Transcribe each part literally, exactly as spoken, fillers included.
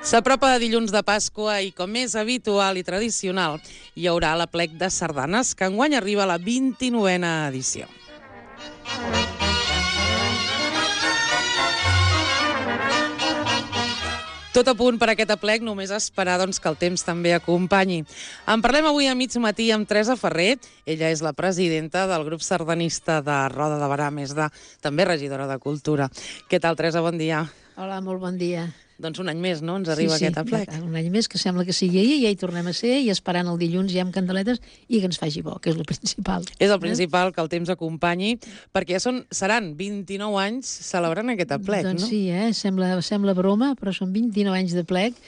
S'apropa dilluns de Pasqua i, com és habitual i tradicional, hi haurà l'aplec de sardanes, que enguany arriba a la vint-i-novena edició. Tot a punt per aquest aplec, només esperar doncs, que el temps també acompanyi. En parlem avui a mig matí amb Teresa Ferrer. Ella és la presidenta del grup sardanista de Roda de Berà, més de també regidora de Cultura. Què tal, Teresa? Bon dia. Hola, molt bon dia. Doncs un any més, no?, ens arriba sí, sí, aquest aplec. Un any més, que sembla que sigui ahir, i ja hi tornem a ser, i esperant el dilluns ja amb candeletes, i que ens faci bo, que és el principal. És el principal, que el temps acompanyi, perquè ja són, seran vint-i-nou anys celebrant aquest aplec, doncs no? sí, eh? sembla, sembla broma, però són vint-i-nou anys d'aplec,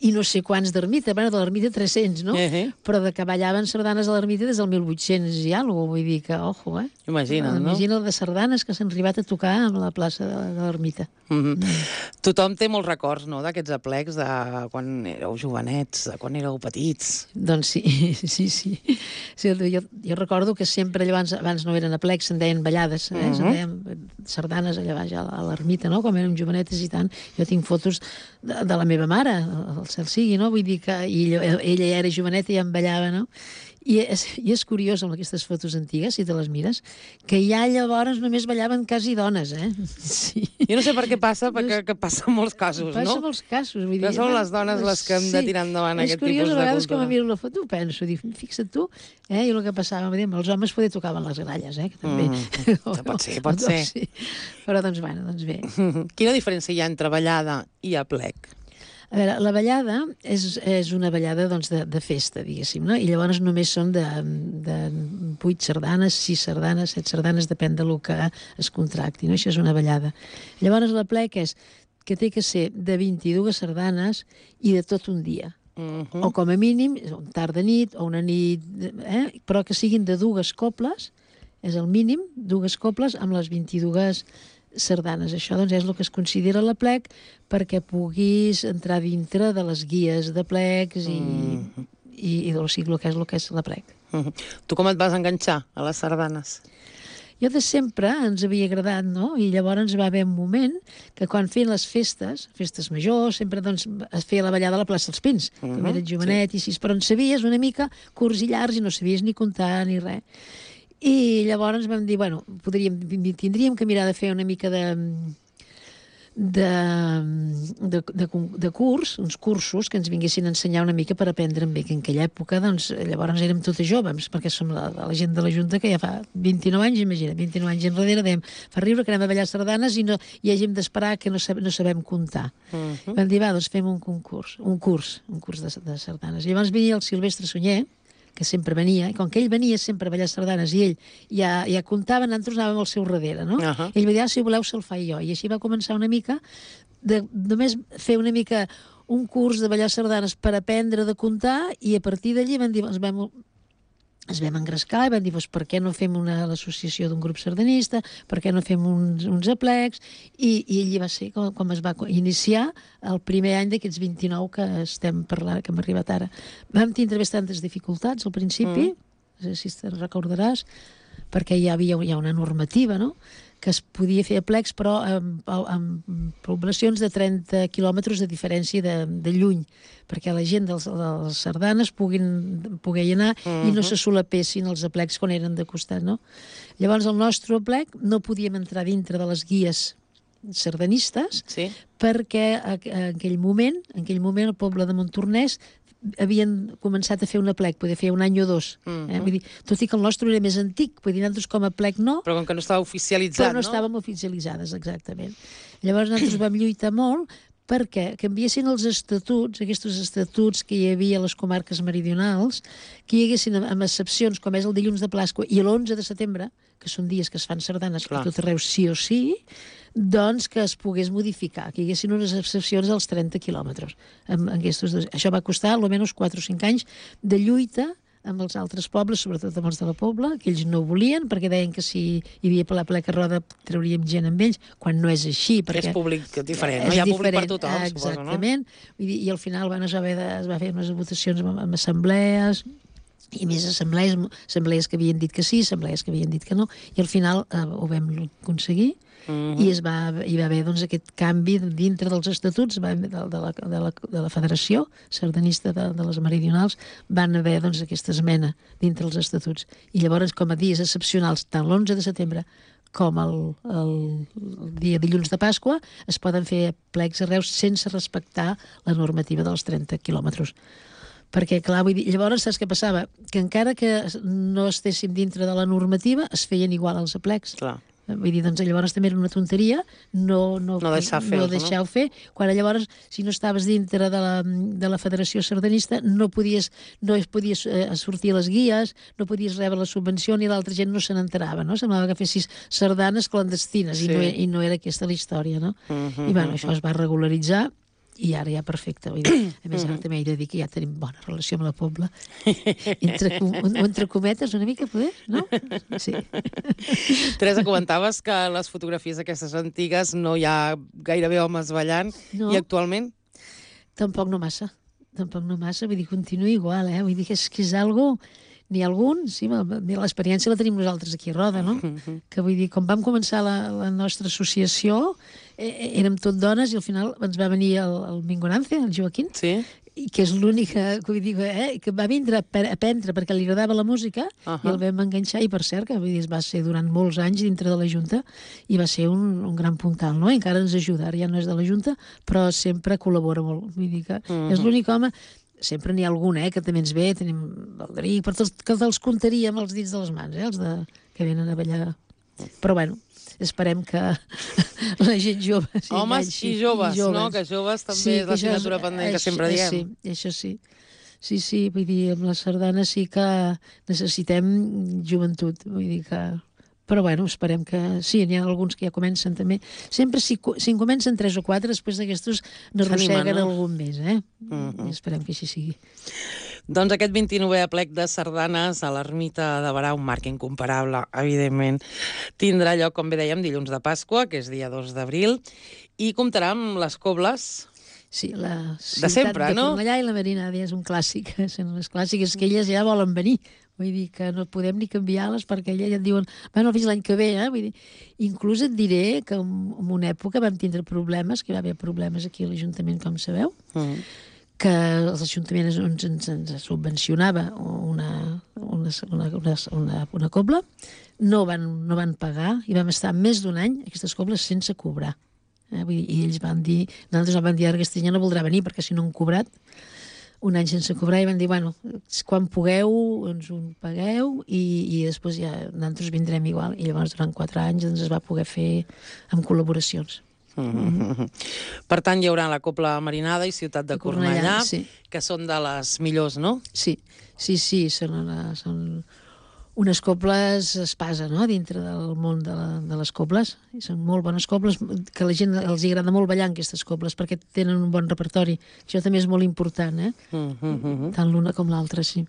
i no sé quants d'ermita, bueno, de l'ermita tres-cents, no? Uh-huh. Però de que ballaven sardanes a l'ermita des del mil vuit-cents i alguna cosa, vull dir que, ojo, eh? Imagina't, no? Imagina't de sardanes que s'han arribat a tocar a la plaça de, de l'ermita. Mm-hmm. Mm. Tothom té molts records, no?, d'aquests aplecs, de quan éreu jovenets, de quan éreu petits. Doncs sí, sí, sí. sí jo, jo recordo que sempre, abans, abans no eren aplecs, se'n deien ballades, eh? Mm-hmm. Se'n deien sardanes allà baix a l'ermita, no?, quan érem jovenetes i tant. Jo tinc fotos de, de la meva mare, el cel sigui, no? Vull dir que ella, ella ja era joveneta i ja em ballava, no? I és, I és curiós, amb aquestes fotos antigues, si te les mires, que ja llavors només ballaven quasi dones, eh? Sí. Jo no sé per què passa, perquè que passa en molts casos, passa no? Passa en molts casos. Vull dir, que són les dones les que hem de tirar endavant sí. aquest tipus de cultura. És curiós, a vegades que me miro la foto ho penso, dic, fixa't tu, eh? I el que passava, dir, els homes poder tocaven les gralles, eh? Que també... Mm. pot ser, pot ser. Sí. Però doncs, bueno, doncs bé. Quina diferència hi ha entre ballada i aplec? A veure, la ballada és, és una ballada doncs, de, de festa, diguéssim, no? I llavors només són de, de vuit sardanes, sis sardanes, set sardanes, depèn del que es contracti, no? Això és una ballada. Llavors l'aplec és que té que ser de vint-i-dues sardanes i de tot un dia. Uh-huh. O com a mínim, tarda nit o una nit, eh? Però que siguin de dues cobles, és el mínim, dues cobles amb les vint-i-dues sardanes. Això doncs, és el que es considera l'aplec perquè puguis entrar dintre de les guies d'aplecs i, mm. i, i o sigui, el que és el que és l'aplec. Mm-hmm. Tu com et vas enganxar a les sardanes? Jo de sempre ens havia agradat, no? I llavors va haver un moment que quan feien les festes, festes majors, sempre doncs, es feia la ballada a la plaça dels Pins, mm-hmm. que eres jovenet, sí. I així, però en sabies una mica curts i llargs i no sabies ni comptar ni res. I llavors vam dir, bueno, podríem, tindríem que mirar de fer una mica de, de, de, de, de curs, uns cursos que ens vinguessin a ensenyar una mica per aprendre bé, que en aquella època, doncs, llavors érem totes joves, perquè som la, la gent de la Junta que ja fa vint-i-nou anys, imagina, vint-i-nou anys enrere, dèiem, fa riure que anem a ballar sardanes i, no, i hàgim d'esperar que no, sab, no sabem comptar. Uh-huh. Vam dir, va, doncs fem un concurs, un curs, un curs de, de sardanes. I llavors venia el Silvestre Sunyer, que sempre venia, i com que ell venia sempre a ballar sardanes i ell ja, ja comptava, nosaltres anàvem al seu darrere, no? Uh-huh. Ell va dir, ah, si voleu se'l faig jo, i així va començar una mica de només fer una mica un curs de ballar sardanes per aprendre de comptar, i a partir d'allí vam dir, ens vam, ens vam engrescar i vam dir, doncs, per què no fem una l'associació d'un grup sardanista, per què no fem uns, uns aplecs, i, i allí va ser com, com es va iniciar el primer any d'aquests vint-i-nou que estem parlant, que hem arribat ara. Vam tindre bastantes dificultats al principi, mm. no sé si te'n recordaràs, perquè hi havia, hi ha una normativa, no?, que es podia fer aplecs, però amb, amb poblacions de trenta quilòmetres de diferència de, de lluny, perquè la gent dels, dels sardanes puguin, poguer anar uh-huh. i no se solapessin els aplecs quan eren de costat, no? Llavors, el nostre aplec no podíem entrar dintre de les guies sardanistes, sí. perquè en aquell moment, en aquell moment el poble de Montornès havien començat a fer un aplec, poder fer un any o dos. Mm-hmm. eh? Vull dir, tot i que el nostre era més antic, vull dir, nosaltres com a aplec no. Però com que no estava oficialitzat, però no? no estàvem oficialitzades, exactament. Llavors nosaltres vam lluitar molt perquè canviessin els estatuts, aquests estatuts que hi havia a les comarques meridionals, que hi haguessin amb excepcions, com és el dilluns de Pasqua i l'onze de setembre, que són dies que es fan sardanes a tot arreu sí o sí, doncs que es pogués modificar, que hi haguessin unes excepcions als trenta quilòmetres. Amb, amb dos. Això va costar almenys quatre o cinc anys de lluita amb els altres pobles, sobretot amb els de la Pobla, que ells no ho volien, perquè deien que si hi havia per la pleca roda trauríem gent amb ells, quan no és així. Perquè és públic diferent, no? Hi ha diferent, públic per tothom, exactament. Suposo, no? I, i al final van, es, va haver de, es va fer unes votacions amb, amb assemblees, i més assemblees, assemblees que havien dit que sí, assemblees que havien dit que no, i al final eh, ho vam aconseguir, uh-huh. i es va, hi va haver doncs, aquest canvi dintre dels estatuts va, de, de, la, de, la, de la Federació Sardanista de, de les Meridionals, van haver doncs, aquesta esmena dintre els estatuts. I llavors, com a dies excepcionals, tant l'onze de setembre com el, el, el dia dilluns de Pasqua, es poden fer plecs a Reus sense respectar la normativa dels trenta quilòmetres. Perquè, clar, vull dir, llavors saps què passava? Que encara que no estéssim dintre de la normativa, es feien igual els aplecs. Clar. Vull dir, doncs llavors també era una tonteria no, no, no deixar fer-ho, no deixar-ho fer, quan llavors, si no estaves dintre de la, de la Federació Sardanista, no podies, no es podies eh, sortir a les guies, no podies rebre la subvenció, ni l'altra gent no se n'enterava, no? Semblava que fessis sardanes clandestines, sí. i, no, i no era aquesta la història, no? Uh -huh, I, bueno, uh -huh. això es va regularitzar, i ara ja perfecte. Vull dir, a més, ara també he de dir que ja tenim bona relació amb la Pobla. Entre, entre cometes, una mica, poder, no? Sí. Teresa, comentaves que les fotografies aquestes antigues no hi ha gairebé homes ballant, no. I actualment? Tampoc no massa. Tampoc no massa, vull dir, continua igual, eh? Vull dir que és, que és algo... N'hi ha algun, sí, l'experiència la tenim nosaltres aquí a Roda, no? Uh-huh. Que vull dir, quan vam començar la, la nostra associació, eh, érem tot dones i al final ens va venir el, el Mingonance, el Joaquín, sí. I que és l'única, vull dir, eh, que va vindre a aprendre perquè li agradava la música, uh-huh. i el vam enganxar, i per cert, que vull dir, va ser durant molts anys dintre de la Junta, i va ser un, un gran puntal, no? I encara ens ajuda, ara ja no és de la Junta, però sempre col·labora molt. Vull dir que uh-huh. és l'únic home... Sempre n'hi ha algun, eh, que també ens ve, tenim el Deric, per tots, que els contaríem els dits de les mans, eh, els de, que venen a ballar. Però bueno, esperem que la gent jove... Sí, homes enganxi, i, joves, i joves, no? Que joves també sí, és l'assignatura pendent que sempre diem. Sí, això sí. Sí, sí, vull dir, amb la sardana sí que necessitem joventut, vull dir que... Però, bueno, esperem que... Sí, n'hi ha alguns que ja comencen també. Sempre, si, si en comencen tres o quatre, després d'aquestos n'arrosseguen no? algun més, eh? Uh-huh. I esperem que així sigui. Doncs aquest vint-i-novè aplec de sardanes a l'ermita de Barà, un marc incomparable, evidentment, tindrà lloc, com bé dèiem, dilluns de Pasqua, que és dia dos d'abril, i comptarà amb les cobles... Sí, la ciutat de, sempre, de no? Cornellà i la Marina és un clàssic, són les clàssiques que elles ja volen venir. Vull dir que no podem ni canviar-les perquè elles ja et diuen, bueno, fins l'any que ve, eh? Vull dir, inclús et diré que en, en una època vam tindre problemes, que hi va haver problemes aquí a l'Ajuntament, com sabeu, mm. que l'Ajuntament ens, ens, ens subvencionava una, una, una, una, una, una cobla, no van, no van pagar i vam estar més d'un any aquestes cobles sense cobrar. Eh? Vull dir, i ells van dir, nosaltres van dir, aquest any no voldrà venir perquè si no han cobrat, un any sense cobrar, i van dir, bueno, quan pugueu ens ho pagueu i, i després ja nosaltres vindrem igual. I llavors durant quatre anys doncs, es va poder fer amb col·laboracions. Mm-hmm. Per tant, hi haurà la Cobla Marinada i Ciutat de, de Cornellà, Cornellà sí. Que són de les millors, no? Sí, sí, sí, són, una, són unes cobles espasa, no?, dintre del món de, la, de les cobles. I són molt bones cobles, que a la gent els agrada molt ballar en aquestes cobles, perquè tenen un bon repertori. Això també és molt important, eh? Mm-hmm. Tant l'una com l'altra, sí.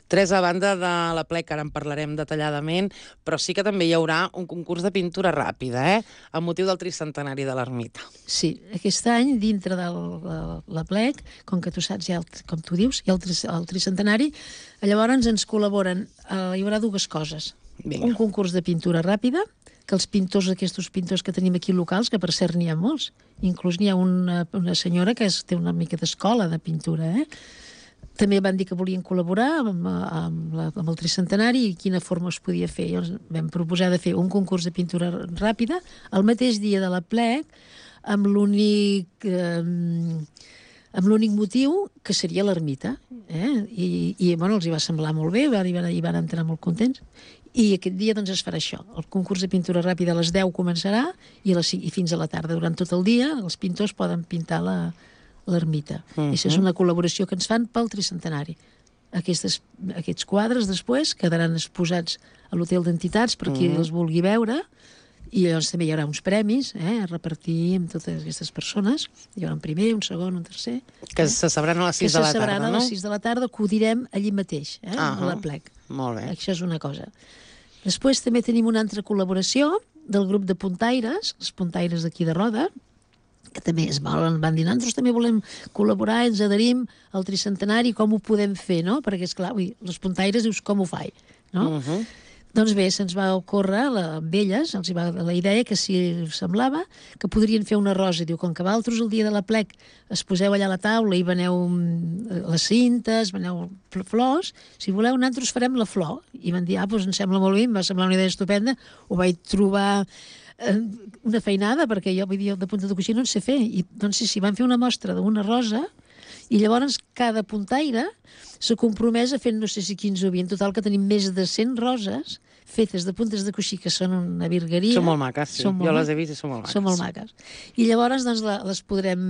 Teresa, a banda de l'aplec, ara en parlarem detalladament, però sí que també hi haurà un concurs de pintura ràpida, eh?, amb motiu del tricentenari de l'ermita. Sí, aquest any, dintre de l'aplec, com que tu saps, ja el, com tu dius, hi ha el, tri, el tricentenari, llavors ens col·laboren, eh, hi haurà dues coses. Vinga. Un concurs de pintura ràpida, que els pintors, aquests pintors que tenim aquí locals, que per cert n'hi ha molts, inclús n'hi ha una, una senyora que és, té una mica d'escola de pintura, eh?, també van dir que volien col·laborar amb, amb, la, amb el tricentenari i quina forma es podia fer. Llavors vam proposar de fer un concurs de pintura ràpida el mateix dia de l'aplec amb l'únic eh, amb l'únic motiu que seria l'ermita. Eh? I, i bueno, els hi va semblar molt bé, hi van, hi van entrar molt contents. I aquest dia doncs, es farà això. El concurs de pintura ràpida a les deu començarà i, les, i fins a la tarda. Durant tot el dia els pintors poden pintar la l'ermita. Uh-huh. Això és una col·laboració que ens fan pel tricentenari. Aquestes, aquests quadres després quedaran exposats a l'Hotel d'Entitats per qui uh-huh. els vulgui veure, i llavors també hi haurà uns premis eh, a repartir amb totes aquestes persones. Hi haurà un primer, un segon, un tercer. Que eh? se sabran a les sis de la tarda, no? Que se sabran a les sis de la tarda, que ho direm allí mateix, eh, uh-huh. a l'aplec. Molt bé. Això és una cosa. Després també tenim una altra col·laboració del grup de puntaires, els puntaires d'aquí de Roda, que també es volen, van dir, nosaltres també volem col·laborar, ens adherim al tricentenari, com ho podem fer, no? Perquè, esclar, ui, les puntaires dius, com ho faig, no? Uh -huh. Doncs bé, se'ns va ocórrer la, amb elles, els hi va la idea que si us semblava que podrien fer una rosa. Diu, com que vosaltres el dia de l'aplec es poseu allà a la taula i veneu les cintes, veneu flors, si voleu nosaltres farem la flor. I van dir, ah, doncs ens sembla molt bé, em va semblar una idea estupenda, ho vaig trobar una feinada, perquè jo, vull dir, de punta de coixí no en sé fer. I doncs sí, sí, van fer una mostra d'una rosa i llavors cada puntaire s'ha compromès a fer no sé si quinze o vint, en total que tenim més de cent roses fetes de puntes de coixí, que són una virgueria. Són molt maques, sí. Jo les he vist i són molt maques. Són molt maques. I llavors doncs, les podrem,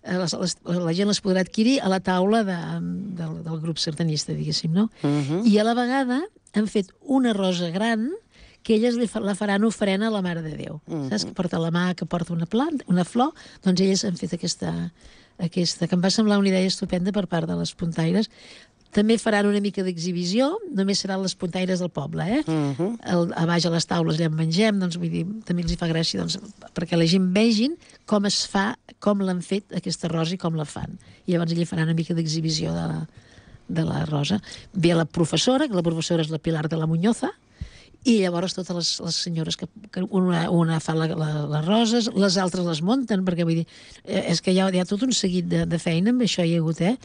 les, les, la gent les podrà adquirir a la taula de, del, del grup sardanista, diguéssim, no? Uh -huh. I a la vegada han fet una rosa gran que elles li fa, la faran ofrena a la Mare de Déu. Uh -huh. Saps? Que porta la mà, que porta una planta, una flor, doncs elles han fet aquesta, aquesta, que em va semblar una idea estupenda per part de les puntaires. També faran una mica d'exhibició, només seran les puntaires del poble, eh? Uh -huh. El, a baix a les taules allà en mengem, doncs vull dir, també els hi fa gràcia, doncs, perquè la gent vegin com es fa, com l'han fet aquesta rosa i com la fan. I llavors allà faran una mica d'exhibició de la, de la rosa. Ve la professora, que la professora és la Pilar de la Muñoza, i llavors totes les, les senyores que, que una, una fa la, la, les roses, les altres les munten, perquè vull dir, és que hi ha, hi ha tot un seguit de, de feina amb això hi ha hagut, eh?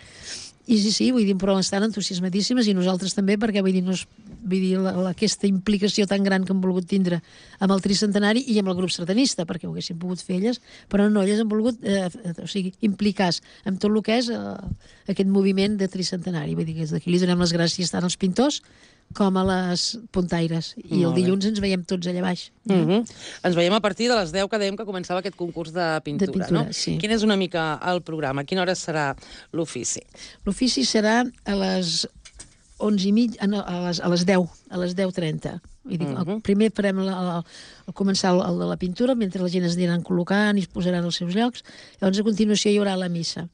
I sí, sí, vull dir, però estan entusiasmadíssimes i nosaltres també, perquè vull dir, no és, vull dir la, la, aquesta implicació tan gran que hem volgut tindre amb el tricentenari i amb el grup sardanista, perquè ho haguessin pogut fer elles, però no, elles han volgut eh, o sigui, implicar-se amb tot el que és eh, aquest moviment de tricentenari. Vull dir que des d'aquí li donem les gràcies tant als pintors com a les puntaires. I el dilluns ens veiem tots allà baix. Uh -huh. Ens veiem a partir de les deu, que dèiem que començava aquest concurs de pintura, de pintura no? Sí. Quin és una mica el programa? A quina hora serà l'ofici? L'ofici serà a les onze i mig, a les, a les deu, a les deu trenta. Vull dir, uh -huh. Primer farem la, la, la, començar el, el de la pintura, mentre la gent es aniran col·locant i es posaran als seus llocs. Llavors, a continuació, hi haurà la missa.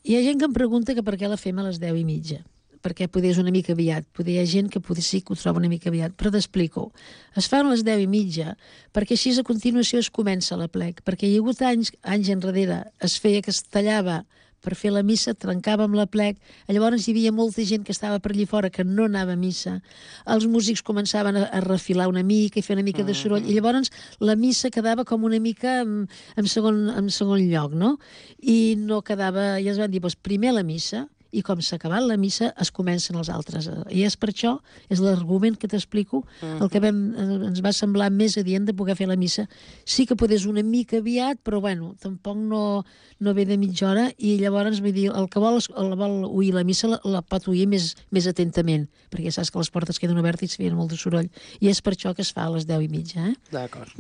Hi ha gent que em pregunta que per què la fem a les deu i mitja, perquè poder és una mica aviat, poder hi ha gent que poder sí que ho troba una mica aviat, però t'explico. Es fan a les deu i mitja, perquè així a continuació es comença l'aplec, perquè hi ha hagut anys, anys enrere, es feia que es tallava per fer la missa, trencàvem l'aplec, llavors hi havia molta gent que estava per allí fora que no anava a missa, els músics començaven a, a refilar una mica i fer una mica de soroll, i llavors la missa quedava com una mica en, en, segon, en segon lloc, no? I no quedava, ja es van dir, doncs primer la missa, i com s'ha acabat la missa es comencen els altres. I és per això, és l'argument que t'explico, el que vam, ens va semblar més adient de poder fer la missa. Sí que podés una mica aviat, però bueno, tampoc no, no ve de mitja hora, i llavors vull dir, el que vol, el vol oir la missa la, la pot oir més, més atentament, perquè saps que les portes queden obertes i es feien molt de soroll. I és per això que es fa a les deu i mitja. Eh? D'acord.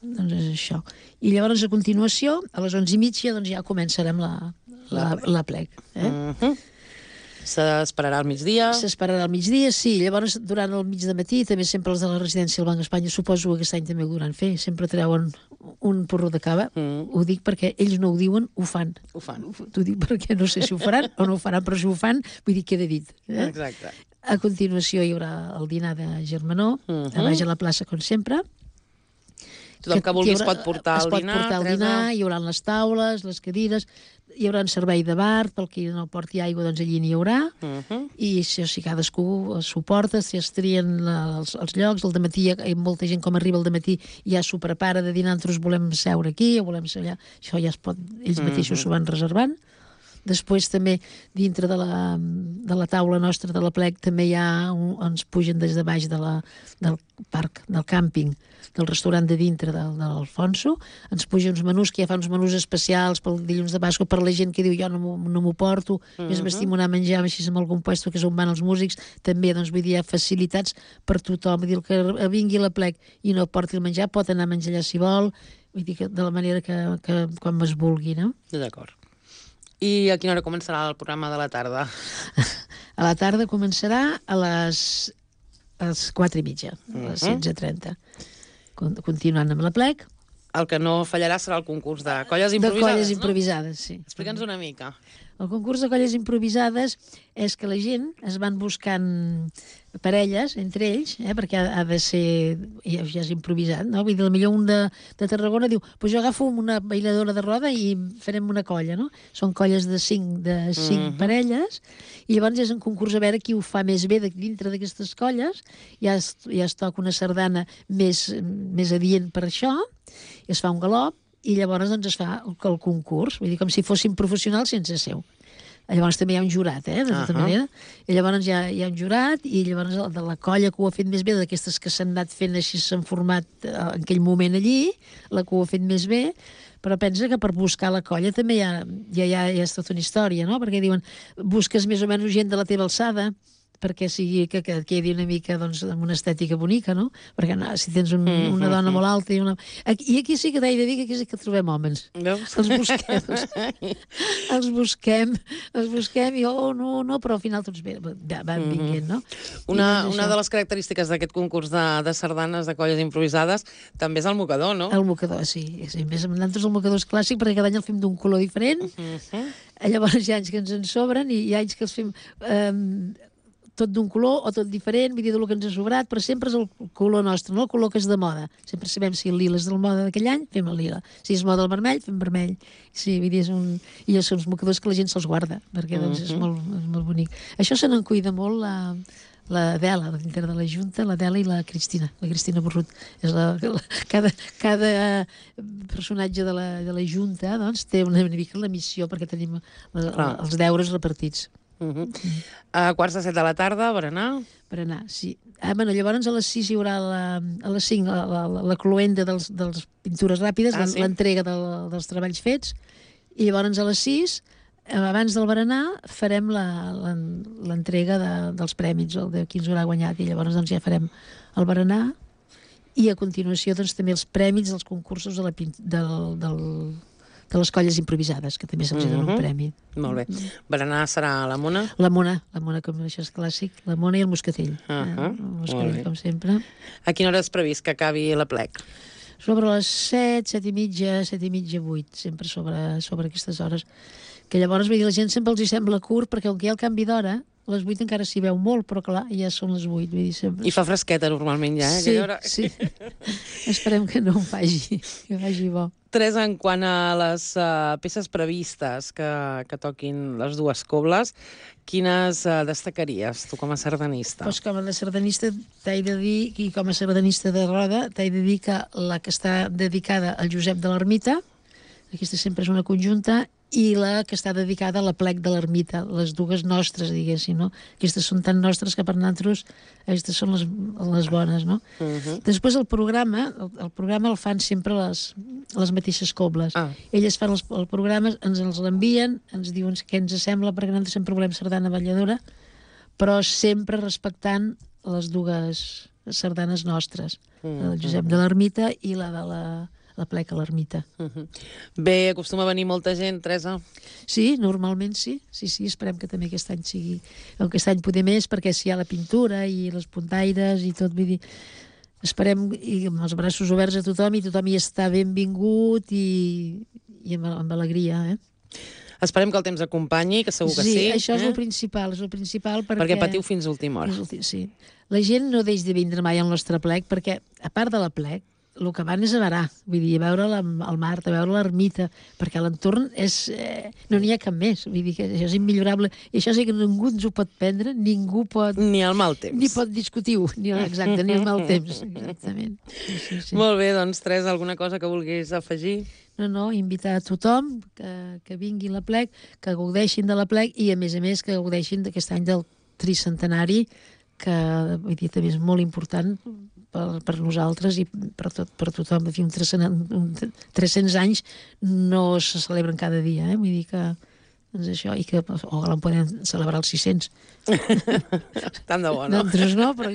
Doncs és això. I llavors, a continuació, a les onze i mitja, doncs ja començarem la, la, la plec. Eh? Uh -huh. S'esperarà al migdia? S'esperarà al migdia, sí. Llavors, durant el mig de matí, també sempre els de la residència del Banc d'Espanya, suposo que aquest any també ho duran fer, sempre treuen un porró de cava. Mm. Ho dic perquè ells no ho diuen, ho fan. Ho fan. T'ho dic perquè no sé si ho faran o no ho faran, però si ho fan, vull dir, queda dit. Eh? Exacte. A continuació hi haurà el dinar de Germanó, uh -huh. a baix a la plaça, com sempre. Tothom que, que vulgui es pot portar es el pot dinar. portar el dinar, hi haurà les taules, les cadires, hi haurà un servei de bar, pel qui no porti aigua, doncs allí n'hi haurà, uh -huh. i si, si cadascú s'ho porta, si es trien la, els, els llocs, el dematí hi ha, hi ha molta gent com arriba al dematí ja s'ho prepara de dinar, nosaltres volem seure aquí o volem ser allà, això ja es pot, ells mateixos uh -huh. s'ho van reservant. Després també dintre de la, de la taula nostra de la plec també hi ha un, ens pugen des de baix de la, del parc, del càmping, del restaurant de dintre del, de l'Alfonso, ens pugen uns menús que ja fa uns menús especials pel dilluns de Pasqua per la gent que diu jo no m'ho no porto, uh -huh. més m'estimo anar a menjar així amb algun puesto que és on van els músics, també doncs vull dir hi ha facilitats per tothom, vull dir el que vingui a la plec i no porti el menjar pot anar a menjar allà si vol, vull dir que de la manera que, que quan es vulgui, no? D'acord. I a quina hora començarà el programa de la tarda? A la tarda començarà a les, a les quatre i mitja, a les setze i trenta. Continuant amb la plec, El que no fallarà serà el concurs de colles De improvisades, colles no? improvisades, sí. Explica'ns una mica. El concurs de colles improvisades és que la gent es van buscant parelles entre ells, eh, perquè ha, ha de ser, ja, ja és improvisat, no? Vull dir, potser un de, de Tarragona diu, pues jo agafo una bailadora de roda i farem una colla, no? Són colles de cinc, de cinc Mhm. parelles, i llavors és un concurs a veure qui ho fa més bé de, dintre d'aquestes colles, ja es, ja es toca una sardana més, més adient per això, i es fa un galop, i llavors doncs, es fa el, el concurs, vull dir, com si fossin professionals sense seu. Llavors també hi ha un jurat, eh, de tota Ahà. manera. I llavors hi ha, hi ha un jurat, i llavors el de la colla que ho ha fet més bé, d'aquestes que s'han anat fent així, s'han format eh, en aquell moment allí, la que ho ha fet més bé, però pensa que per buscar la colla també hi ha, ja, ja, ja és tota una història, no? Perquè diuen, busques més o menys gent de la teva alçada, perquè sigui que, que quedi una mica doncs, amb una estètica bonica, no? Perquè no, si tens un, una dona molt alta i una... Aquí, I aquí sí que t'he de dir que aquí sí que trobem homes. Veus? Els busquem, els, els busquem, els busquem i oh, no, no, però al final tots ve- va- van vinguent, no? Una, I doncs una això, de les característiques d'aquest concurs de, de sardanes de colles improvisades també és el mocador, no? El mocador, sí. sí. Més amb nosaltres el mocador és clàssic perquè cada any el fem d'un color diferent. Mhm. Llavors hi ha anys que ens en sobren i hi ha anys que els fem eh, tot d'un color o tot diferent, vull dir, del que ens ha sobrat, però sempre és el color nostre, no el color que és de moda. Sempre sabem si el lila és del moda d'aquell any, fem el lila. Si és moda el vermell, fem vermell. Sí, vull dir, és un... I són uns mocadors que la gent se'ls guarda, perquè doncs, és, molt, és molt bonic. Això se n'en cuida molt la, la Adela, dintre de la Junta, l'Adela i la Cristina, la Cristina Borrut. És la, la, cada, cada personatge de la, de la Junta doncs, té una mica la missió perquè tenim la, Clar. els deures repartits. Mhm. A quarts de set de la tarda, berenar. Per anar, sí. Ah, bueno, llavors a les sis hi haurà la, a les cinc la, la, la, la cloenda dels, dels pintures ràpides, Ah, ah, sí? l'entrega del, dels treballs fets, i llavors a les sis, eh, abans del berenar, farem la- la- l'entrega de, dels prèmits, el de qui ens haurà guanyat, i llavors doncs, ja farem el berenar, i a continuació doncs, també els prèmits dels concursos de, la, pin- del, del, de les colles improvisades, que també se'ls dona Mhm. un premi. Molt bé. Berenar serà a la Mona. La Mona, la Mona, com això és clàssic, la Mona i el Moscatell. Ahà, eh? El molt Moscatell, bé. com sempre. A quina hora és previst que acabi la plec? Sobre les set, set i mitja, set i mitja, vuit, sempre sobre, sobre aquestes hores. Que llavors, vull dir, la gent sempre els hi sembla curt, perquè com que hi ha el canvi d'hora, a les vuit encara s'hi veu molt, però clar, ja són les vuit, vull dir, sempre... I fa fresqueta normalment ja, eh? sí, aquella hora. sí. Esperem que no ho faci, que vagi bo. Teresa, en quant a les uh, peces previstes que, que toquin les dues cobles, quines uh, destacaries, tu com a sardanista? Doncs com a sardanista t'he de dir, i com a sardanista de roda, t'he de dir que la que està dedicada al Josep de l'Ermita, aquesta sempre és una conjunta, i la que està dedicada a la plec de l'Ermita, les dues nostres, diguéssim, no? Aquestes són tan nostres que per nosaltres aquestes són les, les bones, no? Uh -huh. Després el programa, el, el programa el fan sempre les, les mateixes cobles. Ah. Elles fan els, el programa, ens els l'envien, ens diuen què ens sembla, perquè nosaltres sempre volem sardana balladora, però sempre respectant les dues sardanes nostres, la del Josep de l'Ermita i la de la, la plec a l'Ermita. Uh -huh. Bé, acostuma a venir molta gent, Teresa? Sí, normalment sí. Sí, sí, esperem que també aquest any sigui... Aquest any poder més, perquè si hi ha la pintura i les puntaires i tot, vull dir... Esperem, i amb els braços oberts a tothom, i tothom hi està benvingut i, i amb, amb alegria, eh? Esperem que el temps acompanyi, que segur que sí. Sí, això és eh? el principal, és el principal perquè... Perquè patiu fins a última hora. És últim, sí. La gent no deix de vindre mai al nostre plec, perquè, a part de la plec, el que van és a varar, vull dir, a veure la, el mar, a veure l'ermita, perquè l'entorn és... Eh, no n'hi ha cap més, vull dir que això és immillorable, i això sí que ningú ens ho pot prendre, ningú pot... Ni al mal temps. Ni pot discutir-ho, ni, exacte, ni el mal temps, exactament. Sí, sí, sí. Molt bé, doncs, Teresa, alguna cosa que vulguis afegir? No, no, invitar a tothom que, que vingui a la plec, que gaudeixin de la plec i, a més a més, que gaudeixin d'aquest any del tricentenari, que vull dir, també és molt important per, per nosaltres i per, tot, per tothom. En fi, un tres-cents anys no se celebren cada dia, eh? Vull dir que doncs això, i que ojalà en podem celebrar els sis-cents. Tant de bo, no? Nosaltres no, però...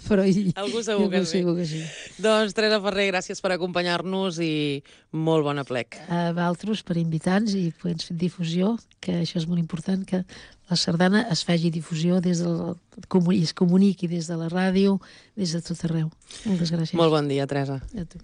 però i, Algú segur que sí. Segur que sí. Doncs, Teresa Ferrer, gràcies per acompanyar-nos i molt bona plec. A Valtros per invitar-nos i poder fer difusió, que això és molt important, que la sardana es faci difusió des del, i es comuniqui des de la ràdio, des de tot arreu. Moltes gràcies. Molt bon dia, Teresa. A tu.